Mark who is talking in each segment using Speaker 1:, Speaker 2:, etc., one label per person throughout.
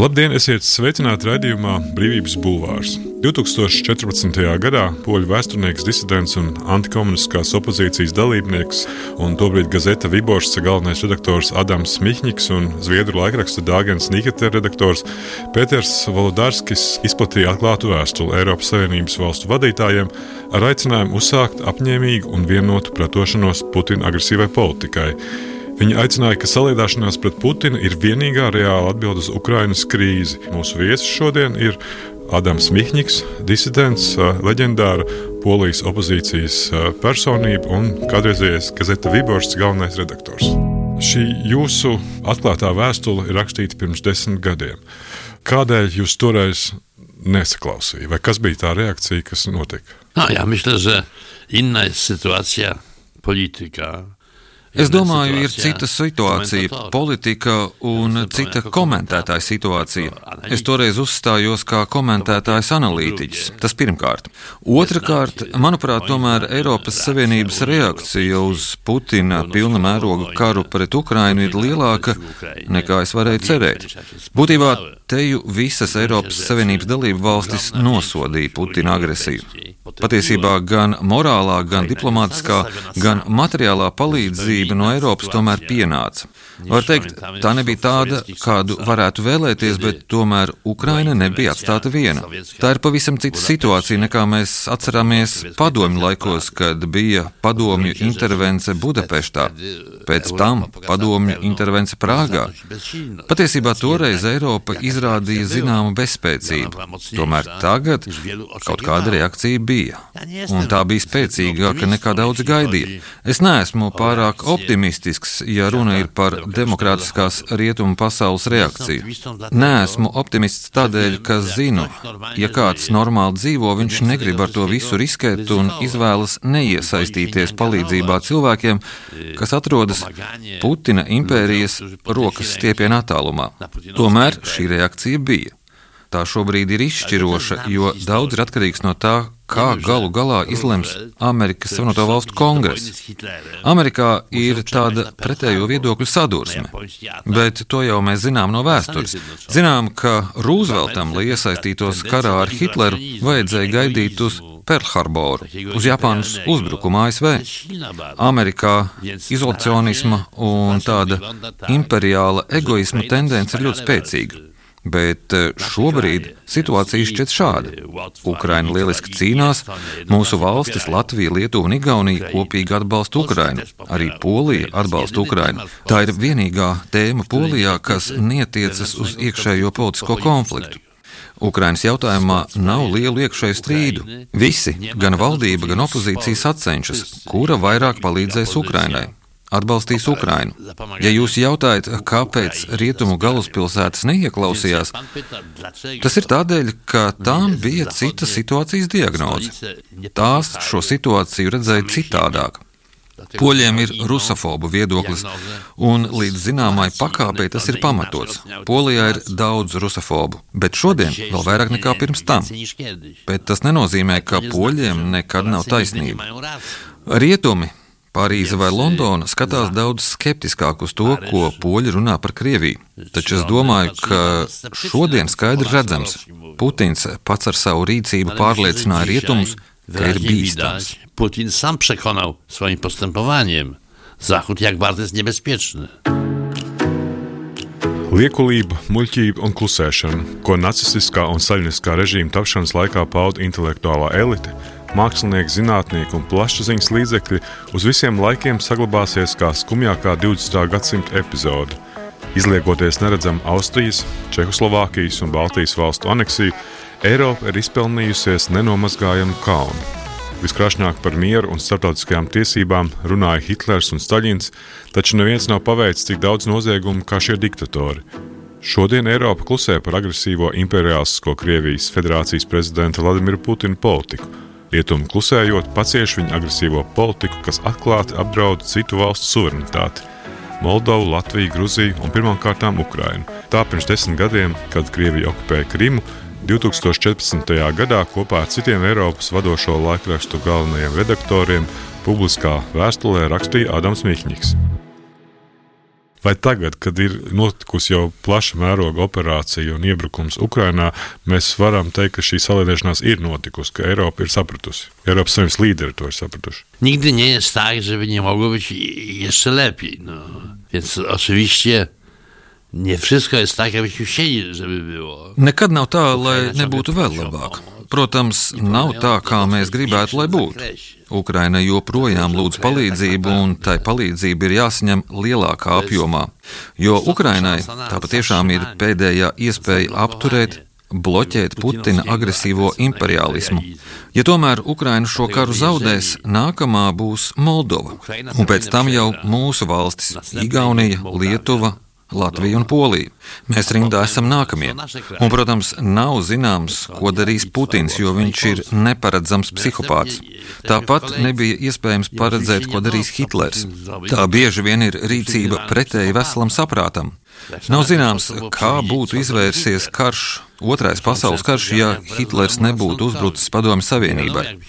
Speaker 1: Labdien, esiet sveicināti raidījumā Brīvības bulvārs. 2014. gadā poļu vēsturnieks, disidents un antikomunistiskās opozīcijas dalībnieks un tobrīd gazeta Viboršs galvenais redaktors Adams Mihņiks un zviedru laikraksta Dāgens Nīketer redaktors Pēters Volodarskis izplatīja atklātu vēstuli Eiropas Savienības valstu vadītājiem ar aicinājumu uzsākt apņēmīgu un vienotu pretošanos Putina agresīvai politikai. Viņi aicināja, ka saliedāšanās pret Putinu ir vienīgā reāla atbilde uz Ukrainas krīzi. Mūsu viesis šodien ir Adams Mihņiks, disidents, leģendāra Polijas opozīcijas personība un kādreizējais gazeta Viboršs galvenais redaktors. Šī jūsu atklātā vēstule ir rakstīta pirms 10 gadiem. Kādēļ jūs toreiz nesaklausīja? Vai kas bija tā reakcija, kas notika?
Speaker 2: Ja myślę, że inna jest sytuacja polityka.
Speaker 3: Es domāju, ir cita situācija, politika un cita komentētāja situācija. Es toreiz uzstājos kā komentētājs analītiķis, tas pirmkārt. Otrakārt, manuprāt, tomēr Eiropas Savienības reakcija uz Putina pilna mēroga karu pret Ukrainu ir lielāka nekā es varēju cerēt. Būtībā teju visas Eiropas Savienības dalību valstis nosodīja Putina agresiju. Patiesībā gan morālā, gan diplomātiskā, gan materiālā palīdzība no Eiropas tomēr pienāca. Var teikt, tā nebija tāda, kādu varētu vēlēties, bet tomēr Ukraina nebija atstāta viena. Tā ir pavisam cita situācija, nekā mēs atceramies padomju laikos, kad bija padomju intervence Budapeštā, pēc tam padomju intervence Prāgā. Patiesībā toreiz Eiropa izrādīja zināmu bezspēcību, tomēr tagad kaut kāda reakcija bija. Un tā bija spēcīgāka nekā daudzi gaidīja. Es neesmu pārāk optimistisks, ja runa ir par demokrātiskās rietumu pasaules reakciju. Neesmu optimists tādēļ, ka zinu, ja kāds normāli dzīvo, viņš negrib ar to visu riskēt un izvēlas neiesaistīties palīdzībā cilvēkiem, kas atrodas Putina impērijas rokas stiepiena attālumā. Tomēr šī reakcija bija. Tā šobrīd ir izšķiroša, jo daudz ir atkarīgs no tā, kā galu galā izlems Amerikas Savienoto Valstu kongress. Amerikā ir tāda pretējo viedokļu sadursme, bet to jau mēs zinām no vēstures. Zinām, ka Rūzveltam, lai iesaistītos karā ar Hitleru, vajadzēja gaidīt uz Perlharboru, uz Japānas uzbrukumu ASV. Amerikā izolacionisma un tāda imperiāla egoisma tendence ir ļoti spēcīga. Bet šobrīd situācija šķiet šāda. Ukraina lieliski cīnās, mūsu valstis Latvija, Lietuva un Igaunija kopīgi atbalsta Ukrainu, arī Polija atbalsta Ukrainu. Tā ir vienīgā tēma Polijā, kas netiecas uz iekšējo politisko konfliktu. Ukrainas jautājumā nav lielu iekšēju strīdu. Visi, gan valdība, gan opozīcija sacenšas, kura vairāk palīdzēs Ukrainai. Atbalstīs Ukrainu. Ja jūs jautājat, kāpēc rietumu galvaspilsētas neieklausījās, tas ir tādēļ, ka tām bija cita situācijas diagnoze. Tās šo situāciju redzēja citādāk. Poļiem ir rusofobu viedoklis, un līdz zināmai pakāpei tas ir pamatots. Polijā ir daudz rusofobu, bet šodien vēl vairāk nekā pirms tam. Bet tas nenozīmē, ka poļiem nekad nav taisnība. Rietumi, Parīze vai Londona skatās daudz skeptiskāk uz to, ko poļi runā par Krieviju. Taču es domāju, ka šodien skaidri redzams, Putins pats ar savu rīcību pārliecināja rietumus, ka ir bīstams.
Speaker 2: Putin sam przekonał swoim postępowaniem Zachód, jak bardzo jest niebezpieczny.
Speaker 1: Liekulība, muļķība un klusēšana, ko nacistiskā un saļiniskā režīma tapšanas laikā pauda intelektuālā elite, mākslinieki, zinātnieki un plašsaziņas līdzekļi uz visiem laikiem saglabāsies kā skumjākā 20. gadsimta epizode. Izliekoties neredzam Austrijas, Čehoslovākijas un Baltijas valstu aneksiju, Eiropa ir izpelnījusies nenomazgājamu kaunu. Viskrāšņāk par mieru un starptautiskajām tiesībām runāja Hitlers un Staļins, taču neviens nav paveicis tik daudz noziegumu kā šie diktatori. Šodien Eiropa klusē par agresīvo imperiālistisko Krievijas federācijas prezidenta Vladimira Putina politiku. Rietumi klusējot pacieš viņa agresīvo politiku, kas atklāti apdraud citu valstu suverenitāti – Moldovu, Latviju, Gruziju un pirmkārtām Ukrainu. Tā pirms 10 gadiem, kad Krievija okupēja Krimu, 2014. gadā kopā ar citiem Eiropas vadošo laikrakstu galvenajiem redaktoriem publiskā vēstulē rakstīja Adams Mihņiks. Vai tagad, kad ir notikusi jau plaša mēroga operācija un iebrukums Ukrainā, mēs varam teikt, ka šī saliedēšanās ir notikusi, ka Eiropa ir sapratusi, Eiropas Savienības līderi to ir sapratuši?
Speaker 2: Nigdy nie jest tak, żeby nie mogło być jeszcze lepiej. No. Więc oczywiście nie wszystko jest tak, jakbyśmy chcieli, żeby było.
Speaker 3: Nekad nav tā, lai nebūtu vēl labāk. Protams, nav tā, kā mēs gribētu, lai būtu. Ukraina joprojām lūdz palīdzību, un tai palīdzība ir jāsaņem lielākā apjomā, jo Ukrainai tā patiešām ir pēdējā iespēja apturēt, bloķēt Putina agresīvo imperialismu. Ja tomēr Ukraina šo karu zaudēs, nākamā būs Moldova, un pēc tam jau mūsu valstis - Igaunija, Lietuva, Latvija un Polija. Mēs rindā esam nākamie. Un, protams, nav zināms, ko darīs Putins, jo viņš ir neparedzams psihopāts. Tāpat nebija iespējams paredzēt, ko darīs Hitlers. Tā bieži vien ir rīcība pretēji veselam saprātam. Nav zināms, kā būtu izvērsies karš, Otrais pasaules karš, ja Hitlers nebūtu uzbrucis Padomju Savienībai.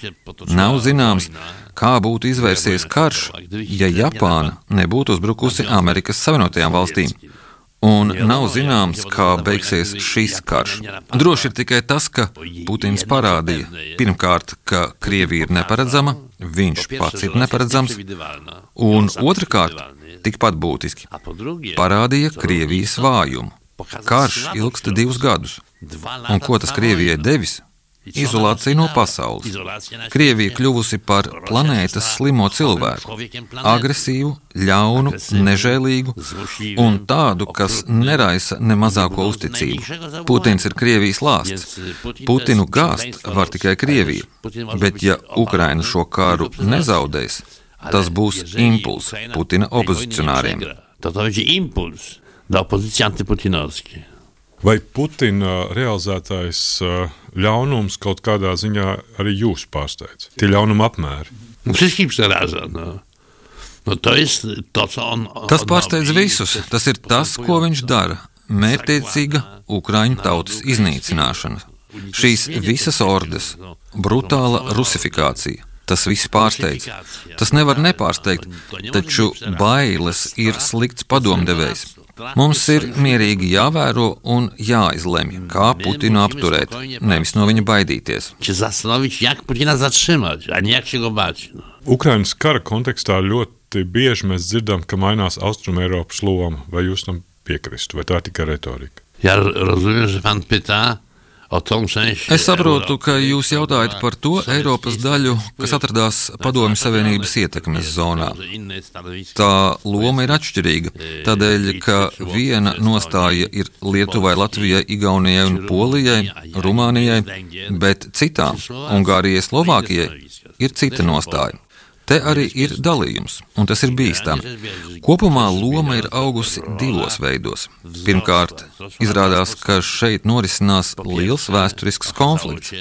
Speaker 3: Nav zināms, kā būtu izvērsies karš, ja Japāna nebūtu uzbrukusi Amerikas Savienotajām valstīm. Un nav zināms, kā beigsies šis karš. Droši ir tikai tas, ka Putins parādīja pirmkārt, ka Krievija ir neparedzama, viņš pats ir neparedzams, un otrkārt, tikpat būtiski, parādīja Krievijas vājumu. Karš ilgsta 2 gadus. Un ko tas Krievijai devis? Izolācija no pasaules. Krievija kļuvusi par planētas slimo cilvēku, agresīvu, ļaunu, nežēlīgu un tādu, kas neraisa ne mazāko uzticību. Putins ir Krievijas lāsts. Putinu gāzt var tikai Krievija, bet ja Ukraina šo karu nezaudēs, tas būs impulss Putina opozicionāriem.
Speaker 2: To będzie impuls dla opozycji antyputinowskiej.
Speaker 1: Vai Putina realizētais ļaunums kaut kādā ziņā arī jūs pārsteidz? Tie ļaunuma apmēri?
Speaker 2: Wszystkich przeraża. No to jest to, co on...
Speaker 3: Tas pārsteidz visus. Tas ir tas, ko viņš dara. Mērķtiecīga Ukraiņu tautas iznīcināšana. Šīs visas ordes, brutāla rusifikācija. Tas viss pārsteidz. Tas nevar nepārsteigt, taču bailes ir slikts padomdevējs. Mums ir mierīgi jāvēro un jāizlemj, kā Putinu apturēt, nevis no viņa baidīties.
Speaker 1: Ukrainas kara kontekstā ļoti bieži mēs dzirdam, ka mainās Austrumeiropas loma. Vai jūs tam piekristu, vai tā ir tikai retorika?
Speaker 2: Ja rozumiem, že pan pyta.
Speaker 3: Es saprotu, ka jūs jautājat par to Eiropas daļu, kas atradās Padomju Savienības ietekmes zonā. Tā loma ir atšķirīga, tādēļ, ka viena nostāja ir Lietuvai, Latvijai, Igaunijai un Polijai, Rumānijai, bet citām, Ungārijai, Slovākijai, ir cita nostāja. Te arī ir dalījums, un tas ir bīstami. Kopumā loma ir augusi 2 veidos. Pirmkārt, izrādās, ka šeit norisinās liels vēsturisks konflikts.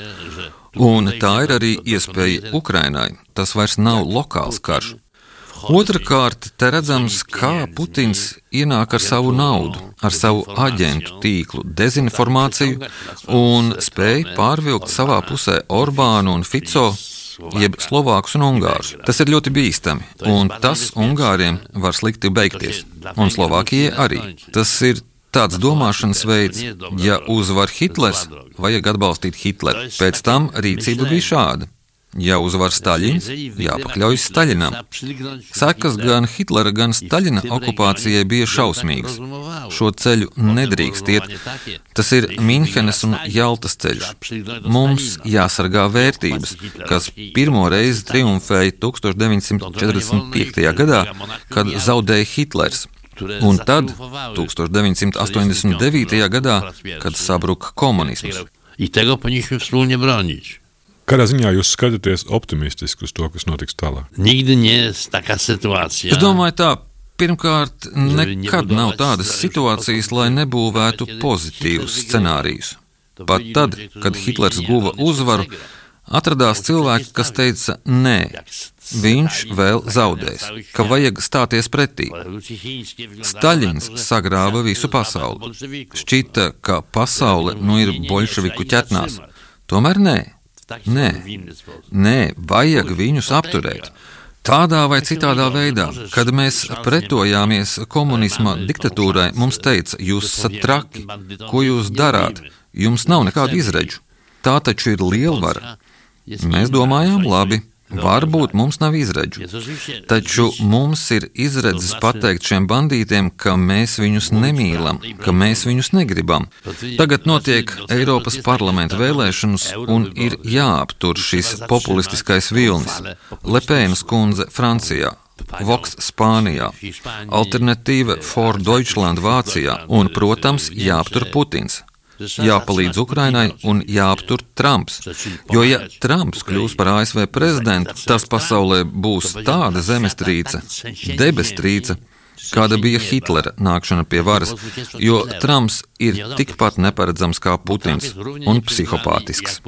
Speaker 3: Un tā ir arī iespēja Ukrainai. Tas vairs nav lokāls karš. Otrakārt, te redzams, kā Putins ienāk ar savu naudu, ar savu aģentu tīklu, dezinformāciju un spēj pārvilkt savā pusē Orbānu un Fico, jeb Slovākus un Ungārus. Tas ir ļoti bīstami, un tas Ungāriem var slikti beigties, un Slovākijai arī. Tas ir tāds domāšanas veids, ja uzvar Hitlers, vajag atbalstīt Hitleru. Pēc tam rīcība bija šāda. Ja uzvar Staļins, jāpakļaujas Staļinam. Sekas gan Hitlera, gan Staļina okupācijai bija šausmīgas. Šo ceļu nedrīkst iet. Tas ir Minhenes un Jaltas ceļš. Mums jāsargā vērtības, kas pirmo reizi triumfēja 1945. gadā, kad zaudēja Hitlers. Un tad 1989. gadā, kad sabruka komunisms.
Speaker 2: I tego powinniśmy wspólnie bronić.
Speaker 1: Kādā ziņā jūs skatāties optimistiski uz to, kas notiks tālāk?
Speaker 2: Nigdy nie jest taka sytuacja.
Speaker 3: Es domāju tā, pirmkārt, nekad nav tādas situācijas, lai nebūvētu pozitīvus scenārijus. Pat tad, kad Hitlers guva uzvaru, atradās cilvēki, kas teica, nē, viņš vēl zaudēs, ka vajag stāties pretī. Staļins sagrāva visu pasauli. Šķita, ka pasaule nu ir boļševiku ķetnās. Tomēr nē. Nē, vajag viņus apturēt. Tādā vai citādā veidā, kad mēs pretojāmies komunisma diktatūrai, mums teica, jūs esat traki, ko jūs darāt, jums nav nekādu izredžu. Tā taču ir lielvara. Mēs domājām, labi, varbūt mums nav izredžu, taču mums ir izredzes pateikt šiem bandītiem, ka mēs viņus nemīlam, ka mēs viņus negribam. Tagad notiek Eiropas parlamenta vēlēšanas un ir jāaptur šis populistiskais vilnis. Lepēnas kundze Francijā, Vox Spānijā, Alternatīva for Deutschland Vācijā un, protams, jāaptur Putins. Jāpalīdz Ukrainai un jāaptur Trumps. Jo, ja Trumps kļūs par ASV prezidentu, tas pasaulē būs tāda zemestrīce, debestrīce, kāda bija Hitlera nākšana pie varas, jo Trumps ir tikpat neparedzams kā Putins un psihopātisks.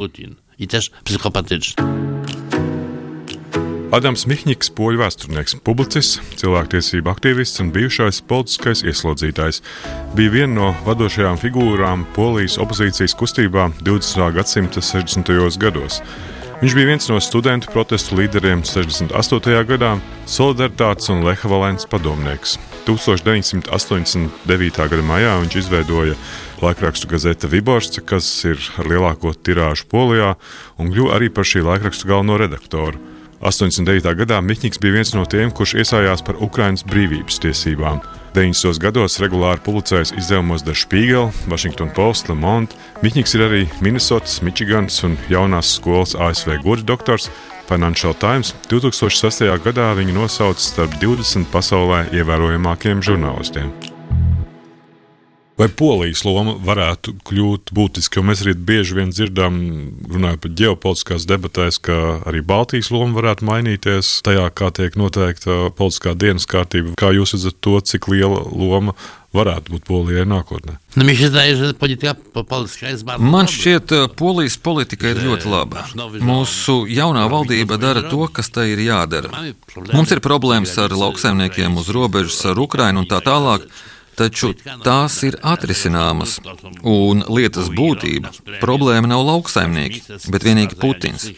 Speaker 1: Adams Michņiks, poļu vēsturnieks, publicists, cilvēktiesību aktīvists un bijušais politiskais ieslodzītājs, bija viena no vadošajām figūrām Polijas opozīcijas kustībā 20. gadsimta 60. gados. Viņš bija viens no studentu protestu līderiem 68. gadā, Solidaritātes un Leha Valences padomnieks. 1989. gada maijā viņš izveidoja laikrakstu gazete Viboršce, kas ir ar lielāko tirāžu Polijā, un kļuva arī par šī laikrakstu galveno redaktoru. 89. gadā Michņiks bija viens no tiem, kurš iestājās par Ukrainas brīvības tiesībām. 90. gados regulāri publicējis izdevumos Der Spiegel, Washington Post, Le Monde. Michņiks ir arī Minnesotas, Mičigans un jaunās skolas ASV goda doktors. Financial Times 2006. gadā viņu nosauca starp 20 pasaulē ievērojamākiem žurnālistiem. Vai Polijas loma varētu kļūt būtiski, jo mēs arī bieži vien dzirdam, runājot par ģeopolitiskās debatēs, ka arī Baltijas loma varētu mainīties tajā, kā tiek noteikta politiskā dienas kārtība. Kā jūs redzat to, cik liela loma varētu būt Polijai nākotnē?
Speaker 3: Man šķiet, Polijas politika ir ļoti laba. Mūsu jaunā valdība dara to, kas tai ir jādara. Mums ir problēmas ar lauksaimniekiem uz robežas ar Ukrainu un tā tālāk, taču tās ir atrisināmas, un lietas būtība. Problēma nav lauksaimnieki, bet vienīgi Putins.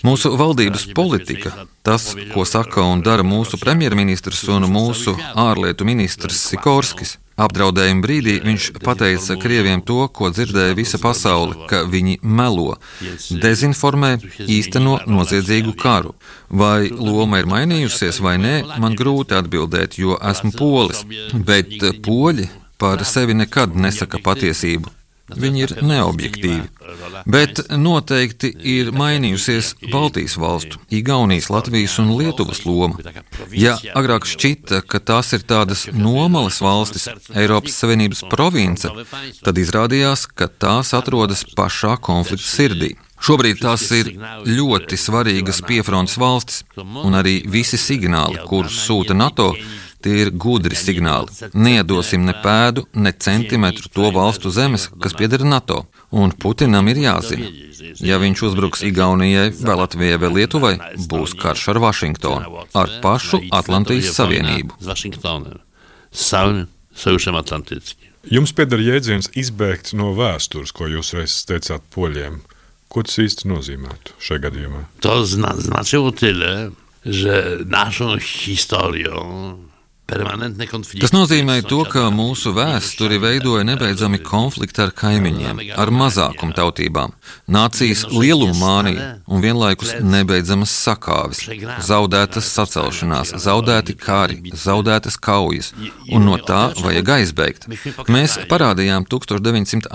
Speaker 3: Mūsu valdības politika, tas, ko saka un dara mūsu premjerministrs un mūsu ārlietu ministrs Sikorskis. Apdraudējuma brīdī viņš pateica Krieviem to, ko dzirdēja visa pasaule, ka viņi melo, dezinformē, īsteno noziedzīgu karu. Vai loma ir mainījusies vai nē, man grūti atbildēt, jo esmu polis, bet poļi par sevi nekad nesaka patiesību. Viņi ir neobjektīvi. Bet noteikti ir mainījusies Baltijas valstu, Igaunijas, Latvijas un Lietuvas loma. Ja agrāk šķita, ka tās ir tādas nomalas valstis, Eiropas Savienības province, tad izrādījās, ka tās atrodas pašā konflikta sirdī. Šobrīd tās ir ļoti svarīgas piefrontes valstis, un arī visi signāli, kurus sūta NATO, tie ir gudri signāli. Neiedosim ne pēdu, ne centimetru to valstu zemes, kas pieder NATO. Un Putinam ir jāzina. Ja viņš uzbruks Igaunijai, vai Latvijai, vai Lietuvai, būs karš ar Vašingtonu, ar pašu Atlantijas Savienību.
Speaker 1: Jums pieder jēdziens izbēgt no vēstures, ko jūs reiz teicāt poļiem. Ko tas īsti nozīmētu šajā gadījumā?
Speaker 2: To znaczyło tyle, że naszą historią
Speaker 3: Tas nozīmē to, ka mūsu vēsturi veidoja nebeidzami konflikti ar kaimiņiem, ar mazākumu tautībām, nācijas lielumu mānija un vienlaikus nebeidzamas sakāves, zaudētas sacelšanās, zaudēti kari, zaudētas kaujas, un no tā vajag aizbēgt. Mēs parādījām 1980.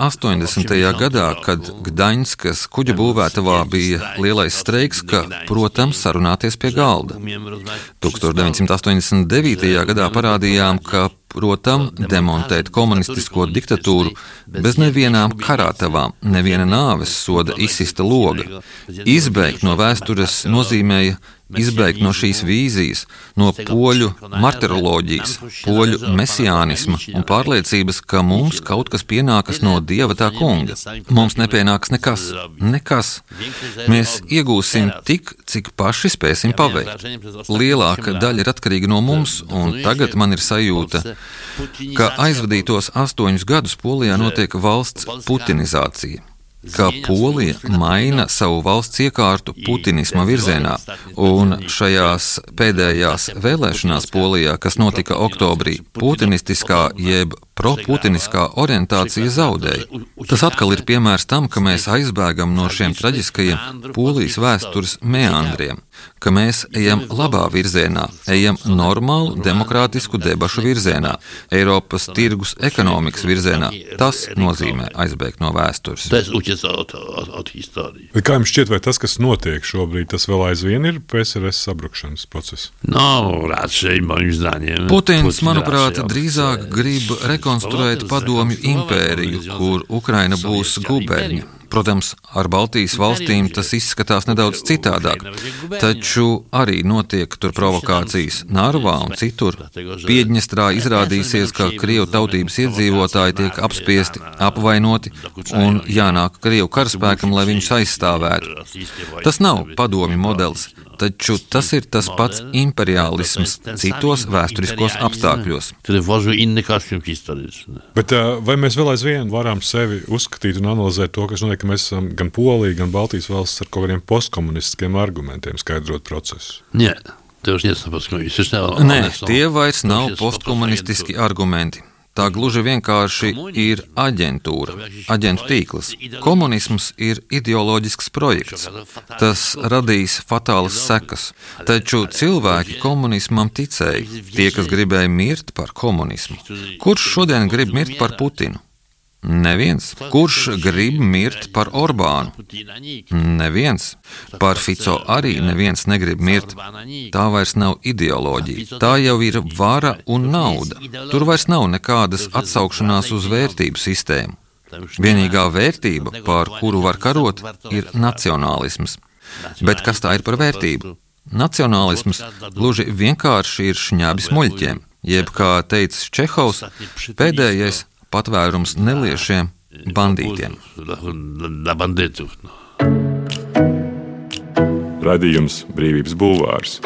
Speaker 3: gadā, kad Gdaņskas kuģa būvētavā bija lielais streiks, ka, protams, sarunāties pie galda. 1989. gadā parādījām, ka, protams, demontēt komunistisko diktatūru bez nevienām karātavām, neviena nāves soda izsista loga. Izbēgt no vēstures nozīmēja izbēgt no šīs vīzijas, no poļu martiroloģijas, poļu mesiānisma un pārliecības, ka mums kaut kas pienākas no Dieva tā kunga. Mums nepienāks nekas. Mēs iegūsim tik, cik paši spēsim paveikt. Lielāka daļa ir atkarīga no mums, un tagad man ir sajūta, ka aizvadītos 8 gadus Polijā notiek valsts putinizācija. ka Polija maina savu valsts iekārtu putinisma virzienā, un šajās pēdējās vēlēšanās Polijā, kas notika oktobrī, putinistiskā jeb proputiniskā orientācija zaudēja. Tas atkal ir piemērs tam, ka mēs aizbēgam no šiem traģiskajiem Polijas vēstures meandriem, ka mēs ejam labā virzienā, ejam normālu demokrātisku debašu virzienā, Eiropas tirgus ekonomikas virzienā. Tas nozīmē aizbēgt no vēstures.
Speaker 1: Kā jums šķiet, vai tas, kas notiek šobrīd, tas vēl aizvien ir PSRS sabrukšanas process?
Speaker 3: Putins, manuprāt, drīzāk grib rekonstruēt padomju impēriju, kur Ukraina būs guberņa. Protams, ar Baltijas valstīm tas izskatās nedaudz citādāk, taču arī notiek tur provokācijas Narvā un citur. Piedņestrā izrādīsies, ka Krievu tautības iedzīvotāji tiek apspiesti, apvainoti un jānāk Krievu karaspēkam, lai viņus aizstāvētu. Tas nav padomju modelis, taču tas ir tas pats imperiālisms citos vēsturiskos apstākļos.
Speaker 1: Bet vai mēs vēl aizvien varam sevi uzskatīt un analizēt to, kas notiek, ka mēs esam gan Polija, gan Baltijas valsts ar kaut kādiem postkomunistiskiem argumentiem skaidrot procesu?
Speaker 3: Nē, tie vairs nav postkomunistiski argumenti. Tā gluži vienkārši ir aģentūra, aģentu tīkls. Komunisms ir ideoloģisks projekts. Tas radīs fatālas sekas. Taču cilvēki komunismam ticēja, tie, kas gribēja mirt par komunismu. Kurš šodien grib mirt par Putinu? Neviens. Kurš grib mirt par Orbānu? Neviens. Par Fico arī neviens negrib mirt. Tā vairs nav ideoloģija. Tā jau ir vara un nauda. Tur vairs nav nekādas atsaukšanās uz vērtību sistēmu. Vienīgā vērtība, par kuru var karot, ir nacionālisms. Bet kas tā ir par vērtību? Nacionālisms gluži vienkārši ir šņabis muļķiem, jeb, kā teica Čehovs, pēdējais patvērums neliešiem bandītiem.
Speaker 1: Radījums Brīvības bulvārs.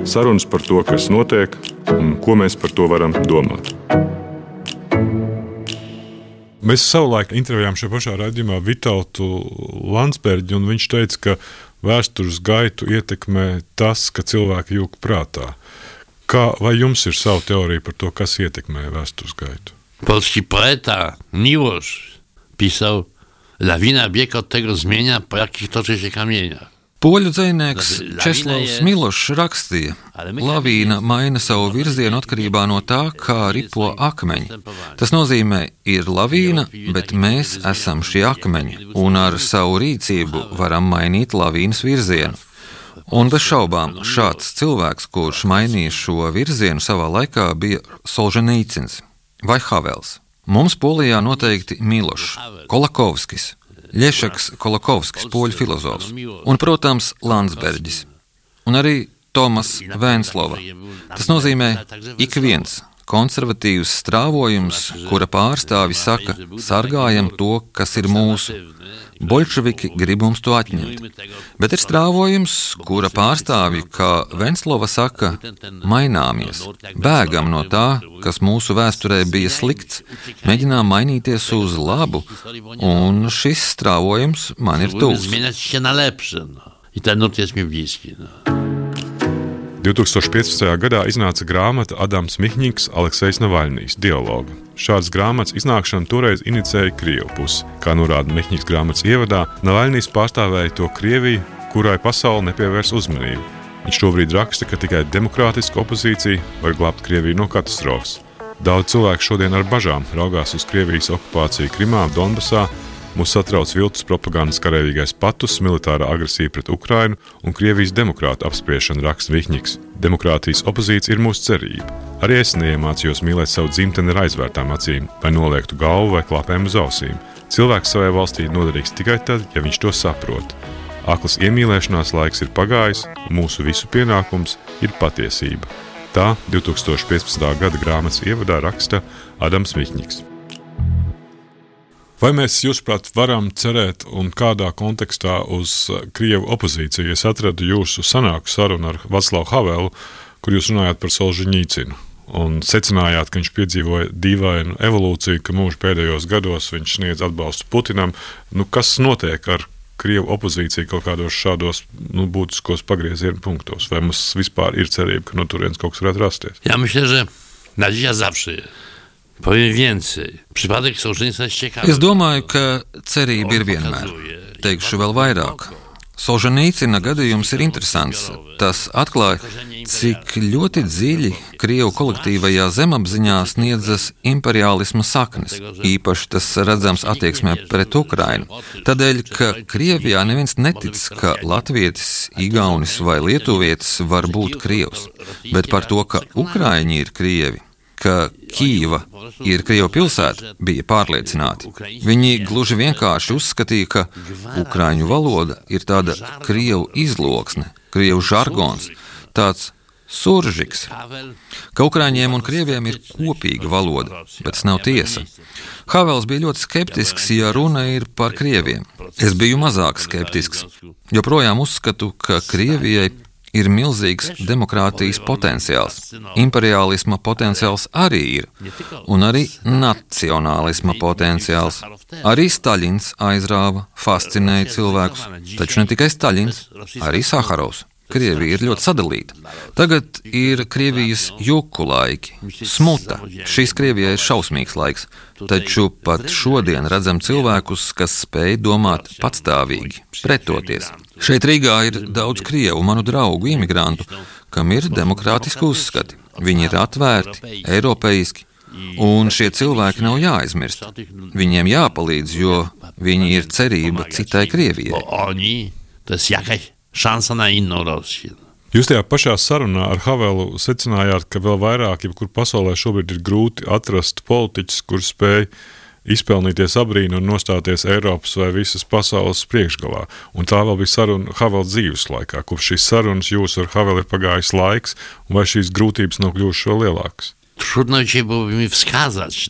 Speaker 1: Sarunas par to, kas notiek un ko mēs par to varam domāt. Mēs savulaik intervējām šajā pašā raidījumā Vitautu Landsbergi, un viņš teica, ka vēstures gaitu ietekmē tas, ka cilvēki jūg prātā. Vai jums ir sava teorija par to, kas ietekmē vēstures gaitu?
Speaker 2: Polski poeta Miłosz pisał: lawina bieg od tego zmienia, po jakich toczy się kamieniach.
Speaker 3: Poļu dzejnieks Česlavs Milošs rakstīja: lavīna maina savu virzienu atkarībā no tā, kā ripo akmeņi. Tas nozīmē, ir lavīna, bet mēs esam šie akmeņi, un ar savu rīcību varam mainīt lavīnas virzienu. Un bez šaubām šāds cilvēks, kurš mainīja šo virzienu savā laikā, bija Solženīcins vai Havels. Mums Polijā noteikti Milošs, Kolakovskis, Ļešaks Kolakovskis, poļu filozofs, un, protams, Landsbergis, un arī Tomas Vēnslova. Tas nozīmē ik viens konservatīvs strāvojums, kura pārstāvi saka, sargājam to, kas ir mūsu. Boļševiki grib mums to atņemt. Bet ir strāvojums, kura pārstāvji, kā Venslova saka, maināmies. Bēgam no tā, kas mūsu vēsturē bija slikts, mēģinām mainīties uz labu, un šis strāvojums man ir tuvs.
Speaker 1: 2015. gadā iznāca grāmata Adams Mihņiks, Aleksejs Navaļnijs dialoga. Šādas grāmatas iznākšanu toreiz inicēja Krievu pusi. Kā norāda Mihņiks grāmatas ievadā, Navaļnijs pārstāvēja to Krieviju, kurai pasaule nepievērs uzmanību. Viņš šobrīd raksta, ka tikai demokrātiska opozīcija var glābt Krieviju no katastrofas. Daudz cilvēku šodien ar bažām raugās uz Krievijas okupāciju Krimā, Donbasā. Mūs satrauc viltus propagandas karavīgais patus, militārā agresija pret Ukrainu un Krievijas demokrātu apspriešana, raksta Mihņiks. Demokrātijas opozīcija ir mūsu cerība. Arī es neiemācījos mīlēt savu dzimteni ar aizvērtām acīm, vai noliektu galvu vai klāpēm uz ausīm. Cilvēks savai valstī noderīgs tikai tad, ja viņš to saprot. Aklas iemīlēšanās laiks ir pagājis, un mūsu visu pienākums ir patiesība. Tā 2015. gada grāmatas ievadā raksta Adams Mihņiks. Vai mēs, jūsuprāt, varam cerēt un kādā kontekstā uz Krievu opozīciju? Es atradu jūsu sanāku sarunu ar Vaclavu Havelu, kur jūs runājāt par Solženīcinu un secinājāt, ka viņš piedzīvoja dīvainu evolūciju, ka mūža pēdējos gados viņš sniedz atbalstu Putinam. Kas notiek ar Krievu opozīciju kaut kādos šādos būtiskos pagrieziena punktos? Vai mums vispār ir cerība, ka no turienes kaut kas varētu rasties?
Speaker 2: Ja myślę, że nadzieja zawsze jest. Powiem więcej. Przypadek Sołżenicina jest ciekawy.
Speaker 3: Es domāju, ka cerība ir vienmēr. Teikšu vēl vairāk. Solženīcina gadījums ir interesants. Tas atklāja, cik ļoti dziļi Krievu kolektīvajā zemapziņā sniedzas imperiālisma saknes. Īpaši tas redzams attieksmē pret Ukrainu. Tādēļ, ka Krievijā neviens netic, ka latvietis, igaunis vai lietuvietis var būt Krievs, bet par to, ka ukraiņi ir Krievi, ka Kīva ir Krievu pilsēta, bija pārliecināti. Viņi gluži vienkārši uzskatīja, ka ukraiņu valoda ir tāda Krievu izloksne, Krievu žargons, tāds suržiks, ka ukraiņiem un krieviem ir kopīga valoda, bet tas nav tiesa. Havels bija ļoti skeptisks, ja runa ir par krieviem. Es biju mazāk skeptisks. Joprojām uzskatu, ka Krievijai ir milzīgs demokrātijas potenciāls. Imperiālisma potenciāls arī ir, un arī nacionālisma potenciāls. Arī Staļins aizrāva, fascinēja cilvēkus, taču ne tikai Staļins, arī Saharovs. Krievija ir ļoti sadalīta. Tagad ir Krievijas juku laiki, smuta. Šis Krievijai ir šausmīgs laiks, taču pat šodien redzam cilvēkus, kas spēj domāt patstāvīgi, pretoties. Šeit Rīgā ir daudz Krievu, manu draugu, imigrantu, kam ir demokrātiski uzskati. Viņi ir atvērti, eiropeiski, un šie cilvēki nav jāaizmirst. Viņiem jāpalīdz, jo viņi ir cerība citai Krievijai.
Speaker 2: Šansa na innu Rosiju.
Speaker 1: Jūs tajā pašā sarunā ar Havelu secinājāt, ka vēl vairāk, jebkur pasaulē šobrīd ir grūti atrast politiķus, kur spēj izpelnīties abrīnu un nostāties Eiropas vai visas pasaules priekšgalā. Un tā vēl bija saruna Havela dzīves laikā. Kopš šīs sarunas jūs ar Havelu ir pagājis laiks, un vai šīs grūtības nav kļuvušas vēl lielākas?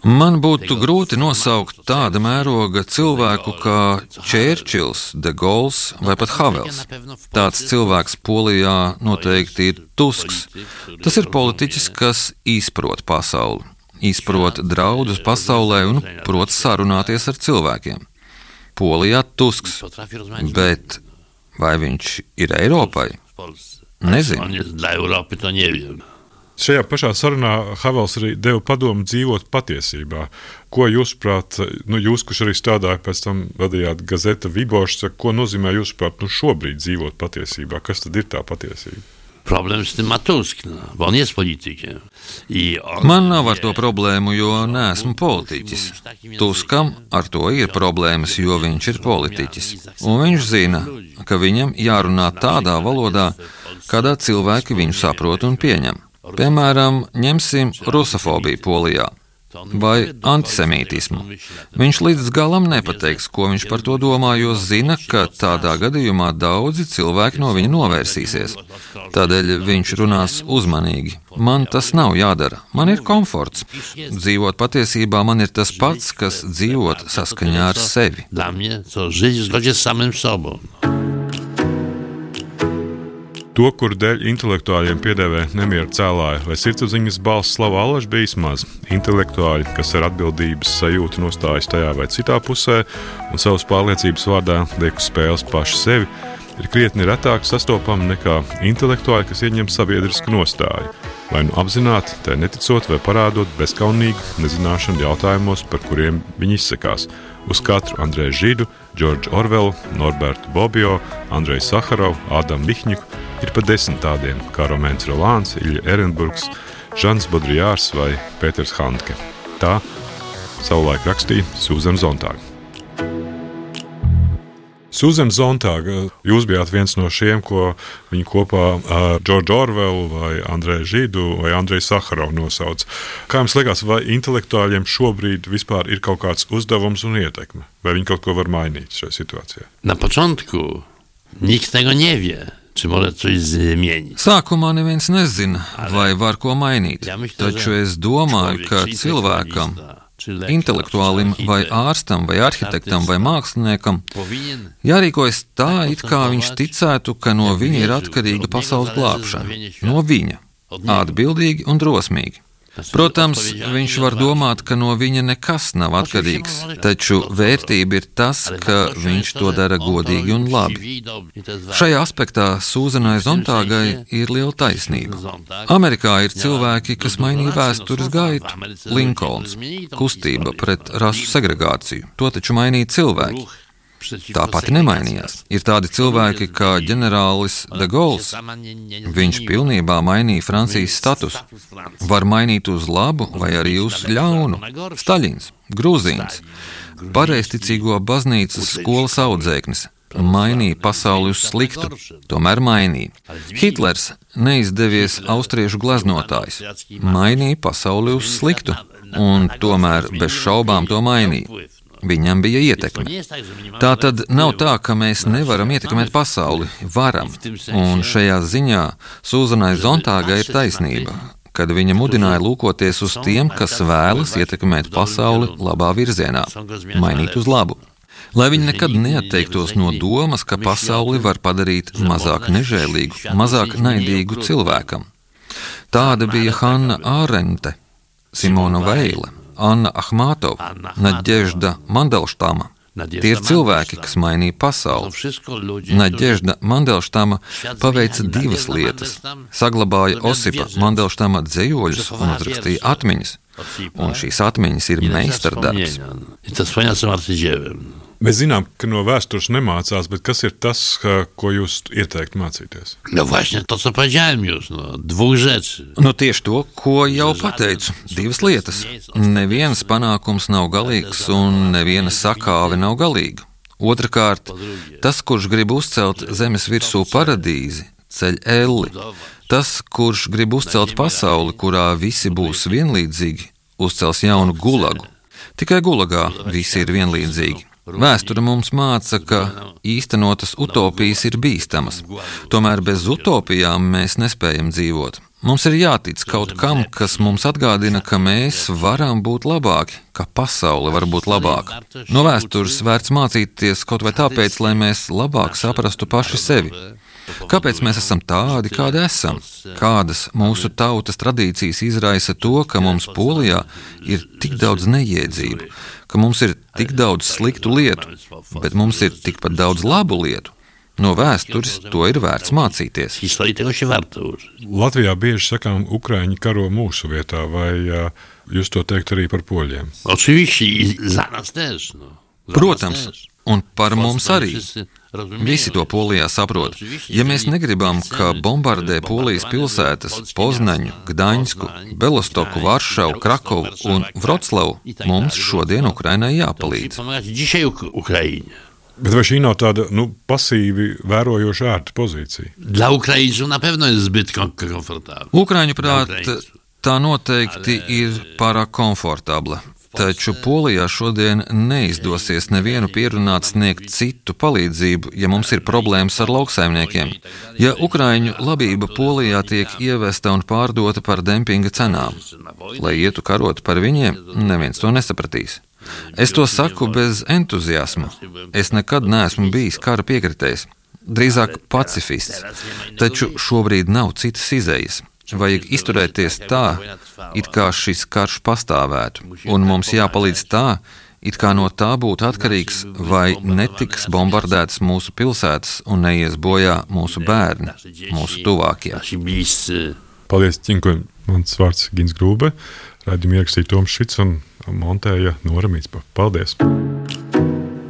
Speaker 3: Man būtu grūti nosaukt tāda mēroga cilvēku kā Čērčils, De Gauls vai pat Havels. Tāds cilvēks Polijā noteikti ir Tusks. Tas ir politiķis, kas izprot pasauli, izprot draudus pasaulē un prot sarunāties ar cilvēkiem. Polijā Tusks, bet vai viņš ir Eiropai? Nezinu.
Speaker 1: Šajā pašā sarunā Havels arī deva padomu dzīvot patiesībā. Ko jūsuprāt, jūs, kurš arī strādāja pēc tam vadījāt gazeta Vibošs, ko nozīmē jūsuprāt šobrīd dzīvot patiesībā? Kas tad ir tā patiesība?
Speaker 2: Problem z tym ma Tusk, bo on jest politykiem.
Speaker 3: Man nav ar to problēmu, jo neesmu politiķis. Tuskam ar to ir problēmas, jo viņš ir politiķis. Un viņš zina, ka viņam jārunā tādā valodā, kādā cilvēki viņu saprot un pieņem. Piemēram, ņemsim rusofobiju Polijā vai antisemītismu. Viņš līdz galam nepateiks, ko viņš par to domā, jo zina, ka tādā gadījumā daudzi cilvēki no viņa novērsīsies. Tādēļ viņš runās uzmanīgi. Man tas nav jādara. Man ir komforts. Dzīvot patiesībā man ir tas pats, kas dzīvot saskaņā ar sevi.
Speaker 1: To, kur dēļ intelektuāļiem piedēvē nemieru cēlāja vai sirdsapziņas balss slavu allaž bijis maz. Intelektuāļi, kas ar atbildības sajūtu nostājas tajā vai citā pusē un savas pārliecības vārdā liek uz spēles paši sevi, ir krietni retāk sastopami nekā intelektuāļi, kas ieņem sabiedrisku nostāju. Vai nu apzināti, tai neticot vai parādot bezkaunīgu nezināšanu jautājumos, par kuriem viņi izsakās. Uz katru Andreju Židu, Džordžu Orvelu, Norbertu Bobio, Andreju Saharovu, Ādamu Mihņiku ir pa 10 tādiem, kā Romēns Rolāns, Ilja Ehrenburgs, Žans Bodrijārs vai Pēters Handke. Tā savulaik rakstīja Sūzana Zontāga. Sūzana Zontāga, jūs bijāt viens no šiem, ko viņi kopā ar Džordžu Orvelu vai Andreju Židu vai Andreju Saharovu nosauc. Kā jums liekas, vai intelektuāļiem šobrīd vispār ir kaut kāds uzdevums un ietekme? Vai viņi kaut ko var mainīt šajā situācijā?
Speaker 2: Na początku nikt tego nie wie.
Speaker 3: Sākumā neviens nezina, vai var ko mainīt, taču es domāju, ka cilvēkam, intelektuālim vai ārstam vai arhitektam vai māksliniekam jārīkojas tā, it kā viņš ticētu, ka no viņa ir atkarīga pasaules glābšana. No viņa. Atbildīgi un drosmīgi. Protams, viņš var domāt, ka no viņa nekas nav atkarīgs, taču vērtība ir tas, ka viņš to dara godīgi un labi. Šajā aspektā Sūzanai Zontāgai ir liela taisnība. Amerikā ir cilvēki, kas mainīja vēstures gaitu. Linkolns, kustība pret rasu segregāciju, to taču mainīja cilvēki. Tā pati nemainījās. Ir tādi cilvēki kā ģenerālis de Gaulle. Viņš pilnībā mainīja Francijas statusu. Var mainīt uz labu vai arī uz ļaunu. Staļins, Grūzīns, pareizticīgo baznīcas skolas audzēknis. Mainīja pasauli uz sliktu, tomēr mainīja. Hitlers, neizdevies austriešu gleznotājs, mainīja pasauli uz sliktu, un tomēr bez šaubām to mainīja. Viņam bija ietekme. Tā tad nav tā, ka mēs nevaram ietekmēt pasauli. Varam. Un šajā ziņā Sūzanai Zontāgai ir taisnība, kad viņa mudināja lūkoties uz tiem, kas vēlas ietekmēt pasauli labā virzienā, mainīt uz labu. Lai viņi nekad neatteiktos no domas, ka pasauli var padarīt mazāk nežēlīgu, mazāk naidīgu cilvēkam. Tāda bija Hanna Ārente, Simona Veile, Anna Ahmatova, Nadežda Mandelštama. Tie ir cilvēki, kas mainīja pasauli. Nadežda Mandelštama paveica divas lietas. Saglabāja Osipa Mandelštama dzejoļus un uzrakstīja atmiņas. Un šīs atmiņas ir meistardarbs.
Speaker 1: Mēs zinām, ka no vēstures nemācās, bet kas ir tas, ko jūs ieteiktu mācīties?
Speaker 3: Tieši to, ko jau pateicu. Divas lietas. Neviens panākums nav galīgs un neviena sakāve nav galīga. Otrakārt, tas, kurš grib uzcelt zemes virsū paradīzi, ceļ elli. Tas, kurš grib uzcelt pasauli, kurā visi būs vienlīdzīgi, uzcels jaunu gulagu. Tikai gulagā visi ir vienlīdzīgi. Vēsture mums māca, ka īstenotas utopijas ir bīstamas. Tomēr bez utopijām mēs nespējam dzīvot. Mums ir jātic kaut kam, kas mums atgādina, ka mēs varam būt labāki, ka pasaule var būt labāka. No vēstures vērts mācīties kaut vai tāpēc, lai mēs labāk saprastu paši sevi. Kāpēc mēs esam tādi, kādi esam? Kādas mūsu tautas tradīcijas izraisa to, ka mums Polijā ir tik daudz neiedzību, ka mums ir tik daudz sliktu lietu, bet mums ir tikpat daudz labu lietu? No vēstures to ir vērts mācīties.
Speaker 1: Latvijā bieži sakām, Ukraiņi karo mūsu vietā, vai jūs to teikt arī par poļiem?
Speaker 3: Protams, un par mums arī. Visi to Polijā saprot. Ja mēs negribam, ka bombardē Polijas pilsētas Poznaņu, Gdaņsku, Belostoku, Varšavu, Krakovu un Vroclavu, mums šodien Ukrainai jāpalīdz.
Speaker 1: Bet vai šī nav tāda, pasīvi vērojoša ērta pozīcija?
Speaker 3: Ukraiņu prāt, tā noteikti ir pārāk komfortabla. Taču Polijā šodien neizdosies nevienu pierunāt sniegt citu palīdzību, ja mums ir problēmas ar lauksaimniekiem. Ja Ukraiņu labība Polijā tiek ievesta un pārdota par dempinga cenām, lai ietu karot par viņiem, neviens to nesapratīs. Es to saku bez entuziasma. Es nekad neesmu bijis kara piekritējs, drīzāk pacifists, taču šobrīd nav citas izejas. Vajag izturēties tā, it kā šis karš pastāvētu, un mums jāpalīdz tā, it kā no tā būtu atkarīgs, vai netiks bombardētas mūsu pilsētas un neies bojā mūsu bērni, mūsu tuvākie.
Speaker 1: Paldies, Ķinko. Mans vārds Gins Grūbe. Raidījumu ierakstīja Toms Šits un montēja Nora Mītspa. Paldies!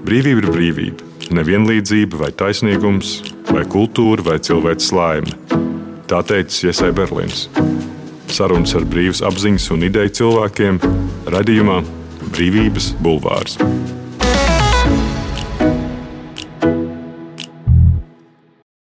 Speaker 1: Brīvība ir brīvība. Nevienlīdzība vai taisnīgums, vai kultūra, vai cilvēks laime. Tā teicis Iesai Berlīns. Sarunas ar brīvas apziņas un ideju cilvēkiem raidījumā Brīvības bulvārs.